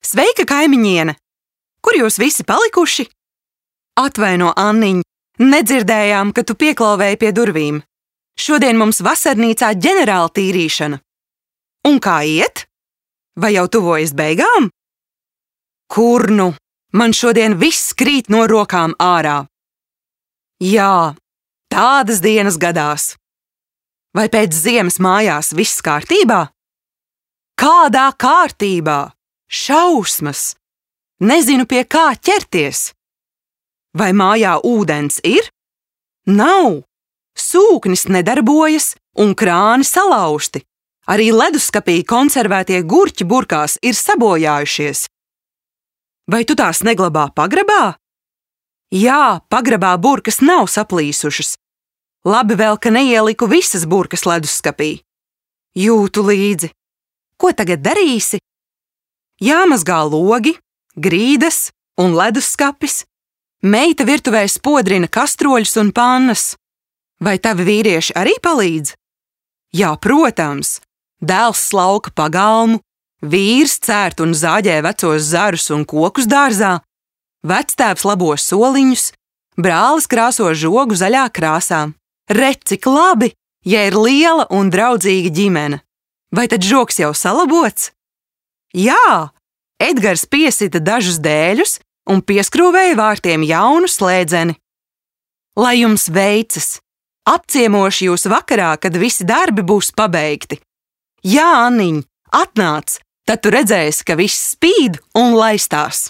Sveika, kaimiņiene! Kur jūs visi palikuši? Atvaino, Anniņ, nedzirdējām, ka tu pieklauvēji pie durvīm. Šodien mums vasarnīcā ģenerāla tīrīšana. Un kā iet? Vai jau tuvojas beigām? Kur nu? Man šodien viss krīt no rokām ārā. Jā, tādas dienas gadās. Vai pēc ziemas mājās viss kārtībā? Kādā kārtībā? Šausmas! Nezinu, pie kā ķerties. Vai mājā ūdens ir? Nav. Sūknis nedarbojas un krāni salauzti. Arī leduskapī konservētie gurķi burkās ir sabojājušies. Vai tu tās neglabā pagrabā? Jā, pagrabā burkas nav saplīsušas. Labi vēl, ka neieliku visas burkas leduskapī. Jūtu līdzi. Ko tagad darīsi? Jāmazgā logi, grīdas un leduskapis. Meita virtuvē spodrina kastroļus un pannas. Vai tavi vīrieši arī palīdz? Jā, protams. Dēls slauka pagalmu, vīrs cērt un zāģē vecos zarus un kokus dārzā, vectēvs labo soliņus, brālis krāso žogu zaļā krāsā. Redz, cik labi, ja ir liela un draudzīga ģimene. Vai tad žogs jau salabots? Jā, Edgars piesita dažus dēļus un pieskrūvēja vārtiem jaunu slēdzeni. Lai jums veicas! Apciemošu jūs vakarā, kad visi darbi būs pabeigti. Jā, Anniņ, atnāc, tad tu redzēsi, ka viss spīd un laistās.